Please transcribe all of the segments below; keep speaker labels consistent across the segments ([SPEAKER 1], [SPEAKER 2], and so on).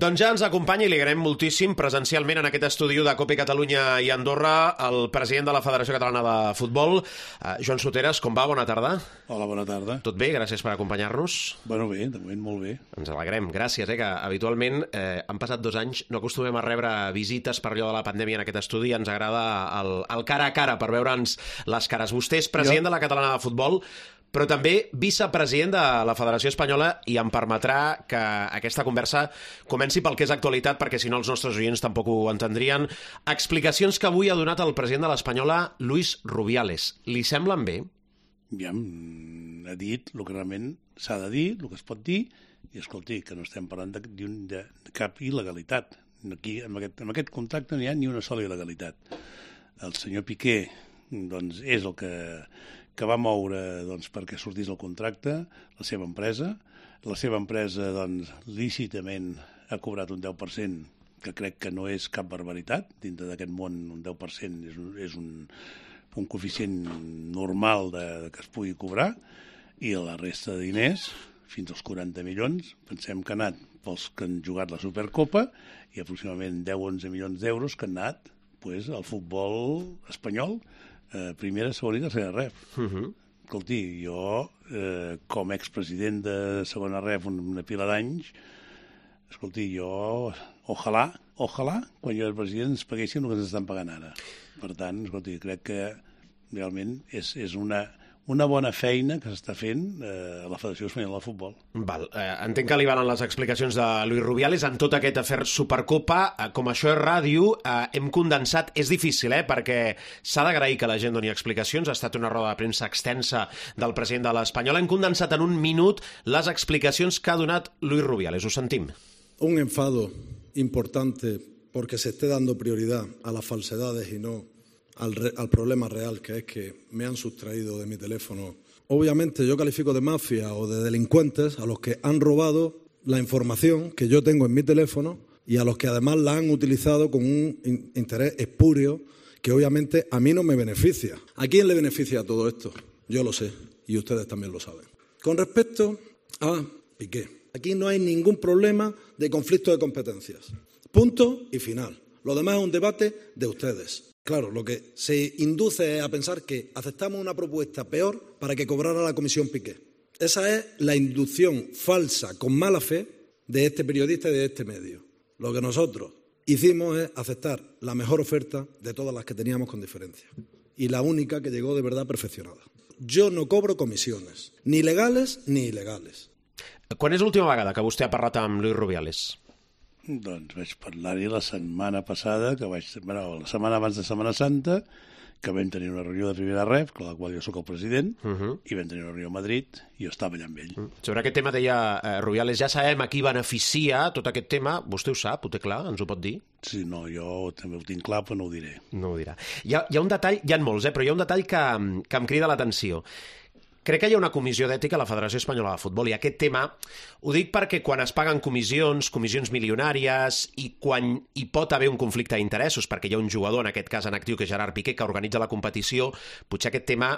[SPEAKER 1] Doncs ja ens acompanya i li agraïm moltíssim presencialment en aquest estudi de Copa Catalunya i Andorra el president de la Federació Catalana de Futbol, Joan Soteras. Com va? Bona tarda.
[SPEAKER 2] Hola, bona tarda.
[SPEAKER 1] Tot bé? Gràcies per acompanyar-nos.
[SPEAKER 2] Bueno, bé, de moment molt bé.
[SPEAKER 1] Ens alegrem. Gràcies, que habitualment han passat 2 anys, no acostumem a rebre visites per allò de la pandèmia en aquest estudi, ens agrada el cara a cara per veure'ns les cares. Vostè és president de la Catalana de Futbol, però també vicepresident de la Federació Espanyola, i em permetrà que aquesta conversa comenci pel que és actualitat, perquè si no els nostres oients tampoc ho entendrien. Explicacions que avui ha donat el president de l'Espanyola, Luis Rubiales. Li semblen bé?
[SPEAKER 2] Ja ha dit el que realment s'ha de dir, el que es pot dir, i escolti, que no estem parlant de cap il·legalitat. Aquí, en aquest contracte no hi ha ni una sola il·legalitat. El senyor Piqué doncs, és el que va moure perquè sortís el contracte, la seva empresa. La seva empresa, lícitament ha cobrat un 10%, que crec que no és cap barbaritat. Dintre d'aquest món, un 10% és un coeficient normal que es pugui cobrar, i la resta de diners, fins als 40 milions, pensem que han anat pels que han jugat la Supercopa, i aproximadament 10-11 milions d'euros que han anat al futbol espanyol, primera, segona i tercera ref. Escolti, jo, com a expresident de segona ref una pila d'anys, escolti, jo, ojalà, quan jo era president, ens paguessin el que ens estan pagant ara. Per tant, escolti, crec que realment és una bona feina que s'està fent a la Federació Espanyola de Futbol.
[SPEAKER 1] Entenc que li valen les explicacions de Luis Rubiales en tot aquest afer Supercopa. Com això és ràdio, hem condensat. És difícil, perquè s'ha d'agrair que la gent doni explicacions. Ha estat una roda de premsa extensa del president de l'Espanyola. Hem condensat en 1 minut les explicacions que ha donat Luis Rubiales. Ho sentim.
[SPEAKER 3] Un enfado importante porque se esté dando prioridad a las falsedades y no al problema real, que es que me han sustraído de mi teléfono. Obviamente yo califico de mafia o de delincuentes a los que han robado la información que yo tengo en mi teléfono y a los que además la han utilizado con un interés espurio que obviamente a mí no me beneficia. ¿A quién le beneficia todo esto? Yo lo sé y ustedes también lo saben. Con respecto a Piqué, aquí no hay ningún problema de conflicto de competencias. Punto y final. Lo demás es un debate de ustedes. Claro, lo que se induce es a pensar que aceptamos una propuesta peor para que cobrara la comisión Piqué. Esa es la inducción falsa, con mala fe, de este periodista y de este medio. Lo que nosotros hicimos es aceptar la mejor oferta de todas las que teníamos con diferencia y la única que llegó de verdad perfeccionada. Jo no cobro comissiones, ni legales ni il·legales.
[SPEAKER 1] Quan és l'última vegada que vostè ha parlat amb Luis Rubiales?
[SPEAKER 2] Doncs vaig parlar-hi la setmana passada, la setmana abans de Setmana Santa, que vam tenir una reunió de primera ref, con la qual jo sóc el president, i vam tenir una reunió a Madrid, i jo estava allà amb ell.
[SPEAKER 1] Sobre aquest tema deia Rubiales, ja sabem a qui beneficia tot aquest tema. Vostè ho sap, ho té clar, ens ho pot dir?
[SPEAKER 2] Sí, no, jo també ho tinc clar, però no ho diré.
[SPEAKER 1] No ho dirà. Hi ha un detall, hi ha molts, però hi ha un detall que em crida l'atenció. Crec que hi ha una comissió d'ètica a la Federació Espanyola de Futbol, i aquest tema ho dic perquè quan es paguen comissions milionàries, i quan hi pot haver un conflicte d'interessos, perquè hi ha un jugador, en aquest cas en actiu, que és Gerard Piqué, que organitza la competició, potser aquest tema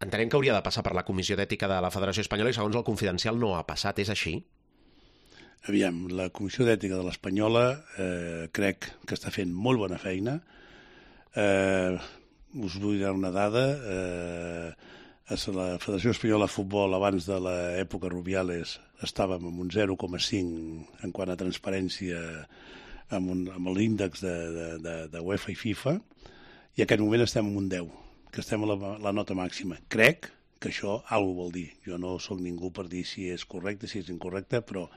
[SPEAKER 1] entenem que hauria de passar per la comissió d'ètica de la Federació Espanyola, i segons el Confidencial no ha passat. És així?
[SPEAKER 2] Aviam, la comissió d'ètica de l'Espanyola crec que està fent molt bona feina. Us vull dar una dada. La Federació Espanyola de Futbol, abans de l'època Rubiales, estàvem en un 0,5 en quant a transparència amb l'índex de UEFA i FIFA, i en aquest moment estem en un 10, que estem a la nota màxima. Crec que això alguna cosa vol dir. Jo no sóc ningú per dir si és correcte, si és incorrecte, però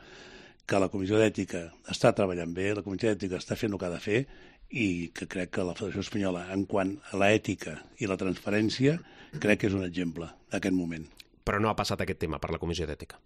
[SPEAKER 2] que la Comissió d'Ètica està treballant bé, la Comissió d'Ètica està fent el que ha de fer, i que crec que la Federació Espanyola, en quant a l'ètica i la transparència, crec que és un exemple d'aquest moment.
[SPEAKER 1] Però no ha passat aquest tema per la Comissió d'Ètica?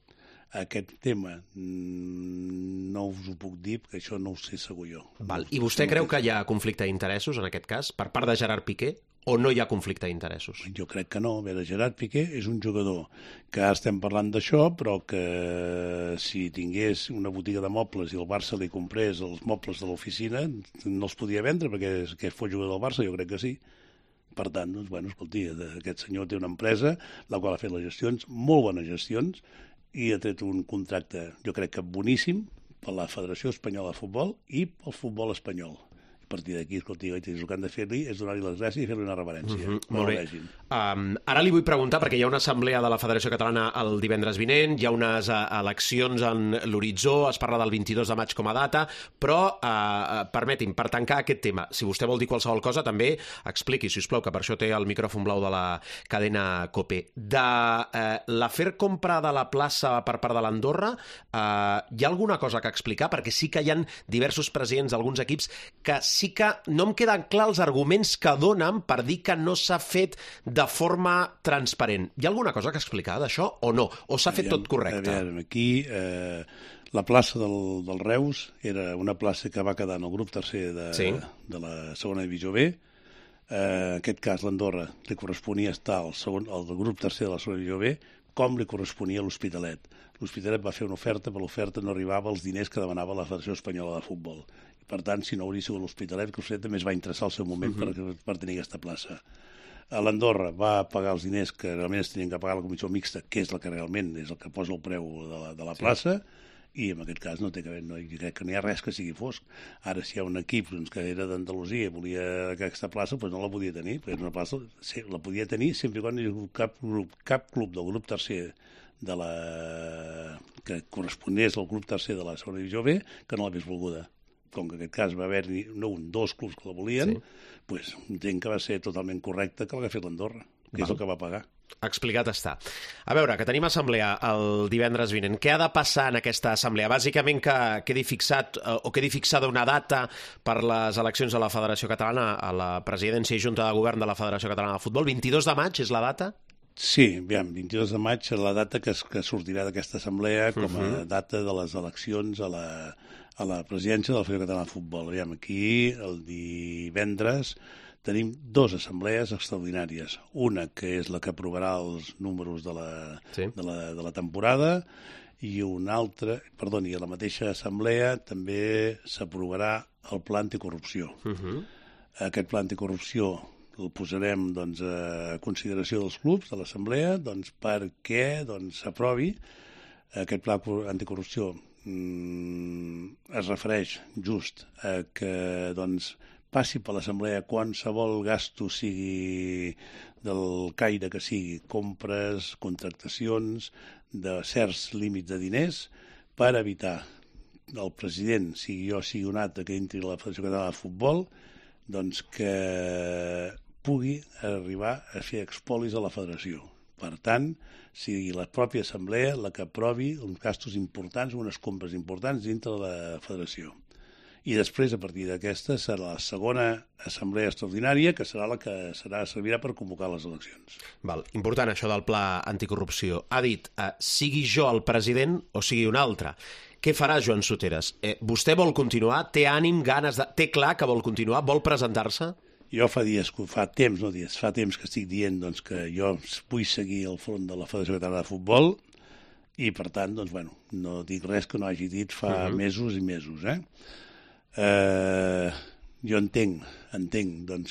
[SPEAKER 2] Aquest tema no us ho puc dir, perquè això no ho sé segur jo.
[SPEAKER 1] I vostè creu que hi ha conflicte d'interessos, en aquest cas, per part de Gerard Piqué, o no hi ha conflicte d'interessos?
[SPEAKER 2] Jo crec que no. A veure, Gerard Piqué és un jugador que ara estem parlant d'això, però que si tingués una botiga de mobles i el Barça li comprés els mobles de l'oficina, no els podia vendre perquè fos jugador del Barça, jo crec que sí. Per tant, doncs, bueno, escolti, aquest senyor té una empresa, la qual ha fet les gestions, molt bones gestions, i ha tret un contracte, jo crec que boníssim, per la Federació Espanyola de Futbol i pel futbol espanyol. A partir d'aquí, escolti, el que han de fer-li és donar-li les gràcies i fer-li una reverència.
[SPEAKER 1] Molt bé. Ara li vull preguntar, perquè hi ha una assemblea de la Federació Catalana el divendres vinent, hi ha unes eleccions en l'horitzó, es parla del 22 de maig com a data, però permeti'm, per tancar aquest tema, si vostè vol dir qualsevol cosa, també expliqui, si us plau, que per això té el micròfon blau de la cadena COPE. De l'afer compra de la plaça per part de l'Andorra, hi ha alguna cosa que explicar? Perquè sí que hi ha diversos presidents d'alguns equips que sí que no em queden clars els arguments que donen per dir que no s'ha fet de forma transparent. Hi ha alguna cosa que explicar d'això o no? O s'ha fet tot correcte?
[SPEAKER 2] A veure, aquí la plaça del Reus era una plaça que va quedar en el grup tercer de la segona divisió B. En aquest cas, l'Andorra li corresponia estar al grup tercer de la segona divisió B, com li corresponia a l'Hospitalet. L'Hospitalet va fer una oferta, però l'oferta no arribava als diners que demanava la Federació Espanyola de Futbol. Per tant, si no hauria sigut l'Hospitalet, que l'Hospitalet també es va interessar al seu moment per tenir aquesta plaça. L'Andorra va pagar els diners que realment es tenien que pagar la comissió mixta, que és la que realment és el que posa el preu de la plaça, i en aquest cas no té que veure, jo crec que no hi ha res que sigui fosc. Ara, si hi ha un equip que era d'Andalusia i volia aquesta plaça, doncs no la podia tenir, perquè una plaça la podia tenir sempre quan hi hagués cap club del grup tercer que corresponés al grup tercer de la segona divisió B que no l'hagués volguda. Com que en aquest cas va haver-hi dos clubs que la volien, doncs entenc que va ser totalment correcte que l'hagués fet l'Andorra, que és el que va pagar.
[SPEAKER 1] Explicat està. A veure, que tenim assemblea el divendres vinent. Què ha de passar en aquesta assemblea? Bàsicament que quedi fixada una data per les eleccions de la Federació Catalana a la presidència i junta de govern de la Federació Catalana de Futbol. 22 de maig és la data?
[SPEAKER 2] Sí, aviam, 22 de maig és la data que sortirà d'aquesta assemblea com a data de les eleccions a la presidència de la Federació Catalana de Futbol. Aviam, aquí, el divendres, tenim dues assemblees extraordinàries. Una, que és la que aprovarà els números de la temporada, i una altra, i a la mateixa assemblea també s'aprovarà el pla anticorrupció. Aquest pla anticorrupció el posarem a consideració dels clubs de l'assemblea perquè s'aprovi. Aquest pla anticorrupció es refereix just a que passi per l'assemblea qualsevol gasto, sigui del caire que sigui, compres, contractacions, de certs límits de diners, per evitar el president, sigui jo, sigui un altre, que entri a la Federació Catalana de Futbol, que pugui arribar a fer expolis a la federació. Per tant, sigui la pròpia assemblea la que aprovi uns gastos importants, unes compres importants dintre de la federació. I després, a partir d'aquesta, serà la segona assemblea extraordinària, que serà la que servirà per convocar les eleccions.
[SPEAKER 1] Important això del pla anticorrupció. Ha dit, sigui jo el president o sigui un altre. Què farà Joan Soteres? Vostè vol continuar? Té ànim, ganes de... Té clar que vol continuar? Vol presentar-se?
[SPEAKER 2] Jo fa temps que estic dient que jo vull seguir al front de la Federació Catalana de Futbol i, per tant, no dic res que no hagi dit fa mesos i mesos. Jo entenc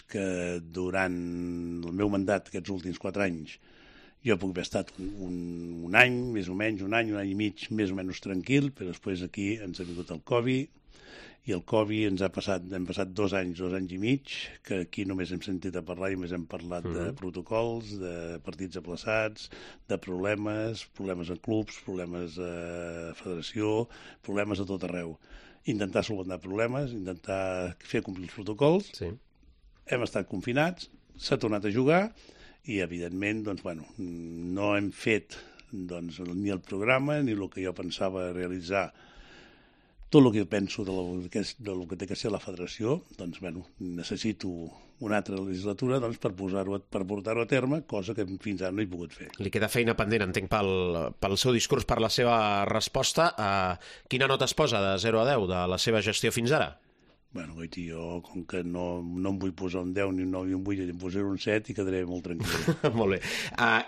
[SPEAKER 2] que durant el meu mandat, aquests últims 4 anys, jo puc haver estat un any, més o menys, un any i mig, més o menys tranquil, però després aquí ens ha vingut el Covid, i el Covid hem passat 2 anys i mig, que aquí només hem sentit a parlar i només hem parlat de protocols, de partits aplaçats, de problemes en clubs, problemes a federació, problemes a tot arreu. Intentar solucionar problemes, intentar fer complir els protocols. Hem estat confinats, s'ha tornat a jugar i, evidentment, no hem fet ni el programa ni el que jo pensava realitzar. Tot el que jo penso del que té que ser la federació, necessito una altra legislatura per portar-ho a terme, cosa que fins ara no he pogut fer.
[SPEAKER 1] Li queda feina pendent, entenc, pel seu discurs, per la seva resposta. Quina nota es posa de 0 a 10 de la seva gestió fins ara?
[SPEAKER 2] Bueno, Goiti, jo, com que no em vull posar un 10, ni un 9 ni un 8, em posaré un 7 i quedaré molt tranquil.
[SPEAKER 1] Molt bé.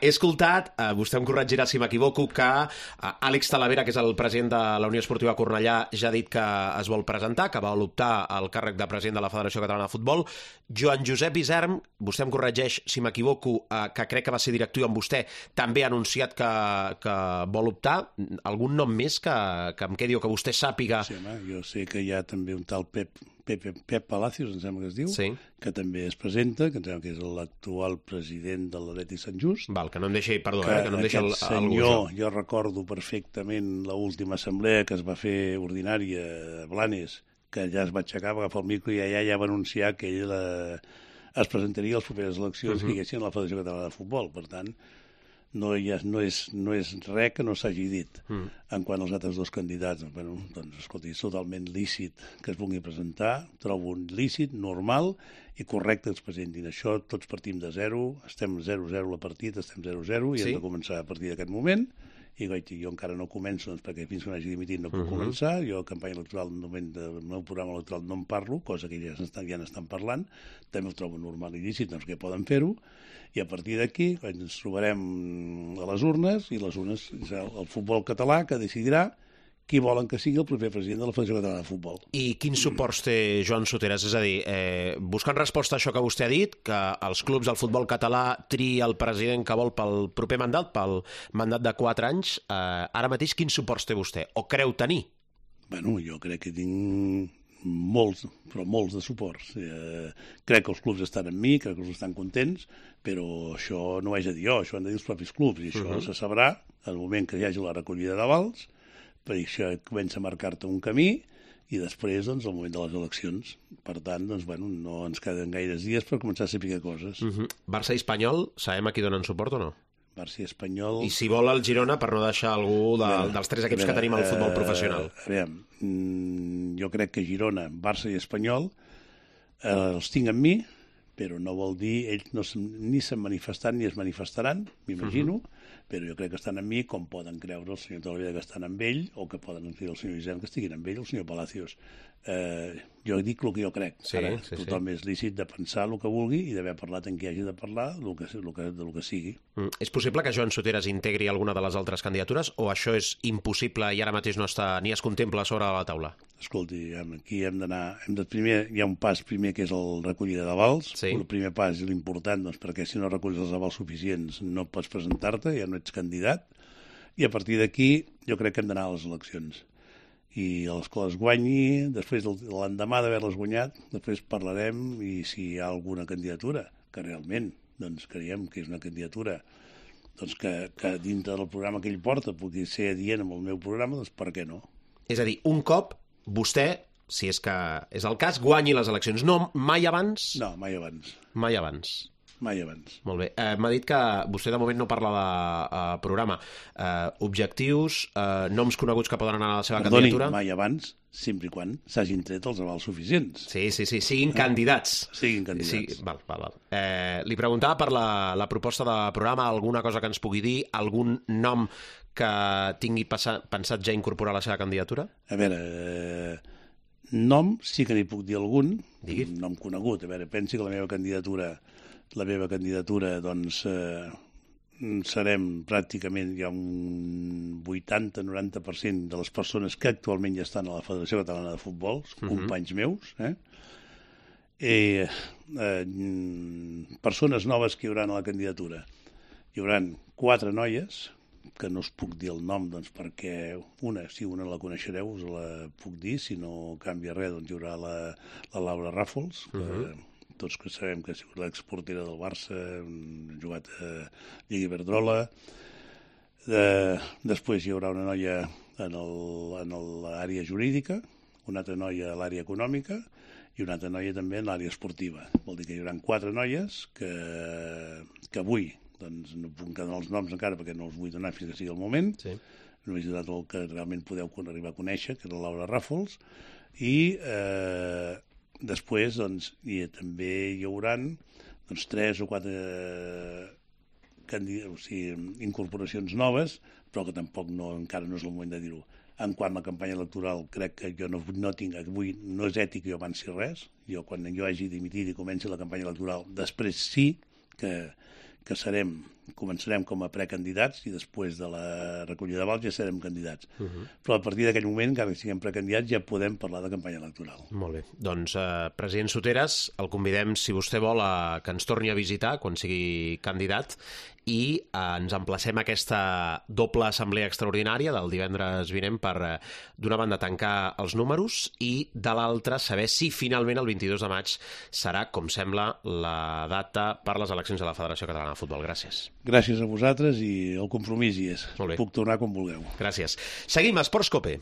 [SPEAKER 1] He escoltat, vostè em corregirà si m'equivoco, que Àlex Talavera, que és el president de la Unió Esportiva Cornellà, ja ha dit que es vol presentar, que vol optar al càrrec de president de la Federació Catalana de Futbol. Joan Josep Isern, vostè em corregeix si m'equivoco, que crec que va ser directiu amb vostè, també ha anunciat que vol optar. Algun nom més que em quedi o que vostè sàpiga?
[SPEAKER 2] Sí, home, jo sé que hi ha també un tal Pep Palacios, em sembla que es diu,
[SPEAKER 1] sí,
[SPEAKER 2] que també es presenta, que em sembla que és l'actual president de l'Atlètic Sant Just.
[SPEAKER 1] Val, que no em deixi, perdó, que no em deixi
[SPEAKER 2] aquest senyor, jo recordo perfectament l'última assemblea que es va fer ordinària a Blanes, que ja es va aixecar, va agafar el micro i allà ja va anunciar que ell es presentaria a les properes eleccions que hi haguessin a la Federació Catalana de Futbol. Per tant, no és res que no s'hagi dit. En quant als altres dos candidats, bueno, doncs, escolti, és totalment lícit que es vulgui presentar, trobo un lícit, normal i correcte que es presentin. Això tots partim de zero, estem 0-0 la partida, estem 0-0 i hem de començar a partir d'aquest moment. I jo encara no començo, doncs, perquè fins que no hagi dimitit no puc començar. Jo, a campanya electoral, en el moment del meu programa electoral no en parlo, cosa que ja n'estan parlant. També ho trobo normal i lícit, doncs que poden fer-ho. I a partir d'aquí ens trobarem a les urnes, i les urnes és el futbol català que decidirà qui volen que sigui el proper president de la Federació Catalana de Futbol.
[SPEAKER 1] I quins suports té Joan Soteras? És a dir, buscant resposta a això que vostè ha dit, que els clubs del futbol català triï el president que vol pel proper mandat, pel mandat de 4 anys, ara mateix quins suports té vostè? O creu tenir?
[SPEAKER 2] Bueno, jo crec que tinc molts, però molts de suports. Crec que els clubs estan amb mi, crec que els estan contents, però això no ho haig de dir jo, això han de dir els propis clubs, i això se sabrà en el moment que hi hagi la recollida d'avals, per això comença a marcar-te un camí, i després, doncs, el moment de les eleccions. Per tant, doncs, bueno, no ens queden gaires dies per començar a saber coses.
[SPEAKER 1] Barça i Espanyol, sabem a qui donen suport o no?
[SPEAKER 2] Barça i Espanyol...
[SPEAKER 1] I si vol el Girona, per no deixar algú dels 3 equips que tenim al futbol professional.
[SPEAKER 2] A veure, jo crec que Girona, Barça i Espanyol els tinc amb mi, però no vol dir, ells ni s'han manifestat ni es manifestaran, m'imagino, però jo crec que estan amb mi, com poden creure el senyor Talavera que estan amb ell, o que poden dir el senyor Isern que estiguin amb ell, el senyor Palacios. Jo dic el que jo crec. Ara, tothom és lícit de pensar el que vulgui i d'haver parlat en qui hagi de parlar del que sigui.
[SPEAKER 1] És possible que Joan Soteras integri alguna de les altres candidatures, o això és impossible i ara mateix no està ni es contempla sobre la taula?
[SPEAKER 2] Escolti, aquí hem d'anar... Hi ha un pas primer que és el recollida d'avals. El primer pas és l'important, doncs, perquè si no reculls els avals suficients no pots presentar-te, ja no ets candidat. I a partir d'aquí jo crec que hem d'anar a les eleccions. I els que les guanyi, després l'endemà d'haver-les guanyat, després parlarem i si hi ha alguna candidatura, que realment doncs, creiem que és una candidatura doncs, que dintre del programa que ell porta pugui ser adient amb el meu programa, doncs per què no?
[SPEAKER 1] És a dir, un cop vostè, si és que és el cas, guanyi les eleccions. No, mai abans?
[SPEAKER 2] No, mai abans.
[SPEAKER 1] Mai abans.
[SPEAKER 2] Mai abans.
[SPEAKER 1] Molt bé. M'ha dit que vostè de moment no parla de programa. Objectius, noms coneguts que poden anar a la seva candidatura?
[SPEAKER 2] Mai abans, sempre i quan s'hagin tret els avals suficients.
[SPEAKER 1] Sí, siguin candidats.
[SPEAKER 2] Siguin candidats.
[SPEAKER 1] Sí, val. Li preguntava per la proposta de programa, alguna cosa que ens pugui dir, algun nom que tingui pensat ja incorporar a la seva candidatura?
[SPEAKER 2] A veure, nom sí que n'hi puc dir algun, un nom conegut. A veure, pensi que la meva candidatura, doncs, serem pràcticament ja un 80-90% de les persones que actualment ja estan a la Federació Catalana de Futbol, companys meus, persones noves que hi haurà a la candidatura. Hi haurà 4 noies, que no us puc dir el nom, doncs, perquè si una la coneixereu us la puc dir, si no canvia res, doncs hi haurà la Laura Ràfols, tots que sabem que ha sigut l'exportera del Barça, ha jugat a Lliga Iberdrola. Després hi haurà una noia en l'àrea jurídica, una altra noia a l'àrea econòmica i una altra noia també en l'àrea esportiva. Vol dir que hi haurà 4 noies que avui, doncs no puc donar els noms encara perquè no els vull donar fins que sigui el moment, només he donat el que realment podeu arribar a conèixer, que és la Laura Ràfols, i després doncs, també hi haurà 3 o 4 incorporacions noves, però que tampoc encara no és el moment de dir-ho. En quant a la campanya electoral, crec que jo no tinc avui, no és ètic que jo avanci res. Jo, quan jo hagi dimitit i comenci la campanya electoral, després sí que començarem com a precandidats i després de la recollida de vots ja serem candidats. Però a partir d'aquell moment, encara que siguem precandidats, ja podem parlar de campanya electoral.
[SPEAKER 1] Molt bé. Doncs, president Soteras, el convidem, si vostè vol, que ens torni a visitar quan sigui candidat i ens emplacem a aquesta doble assemblea extraordinària del divendres vinent per, d'una banda, tancar els números i, de l'altra, saber si finalment el 22 de maig serà, com sembla, la data per les eleccions de la Federació Catalana de Futbol. Gràcies.
[SPEAKER 2] Gràcies a vosaltres i el compromís hi és.
[SPEAKER 1] Molt bé.
[SPEAKER 2] Puc tornar quan vulgueu.
[SPEAKER 1] Gràcies. Seguim a Esports Cope.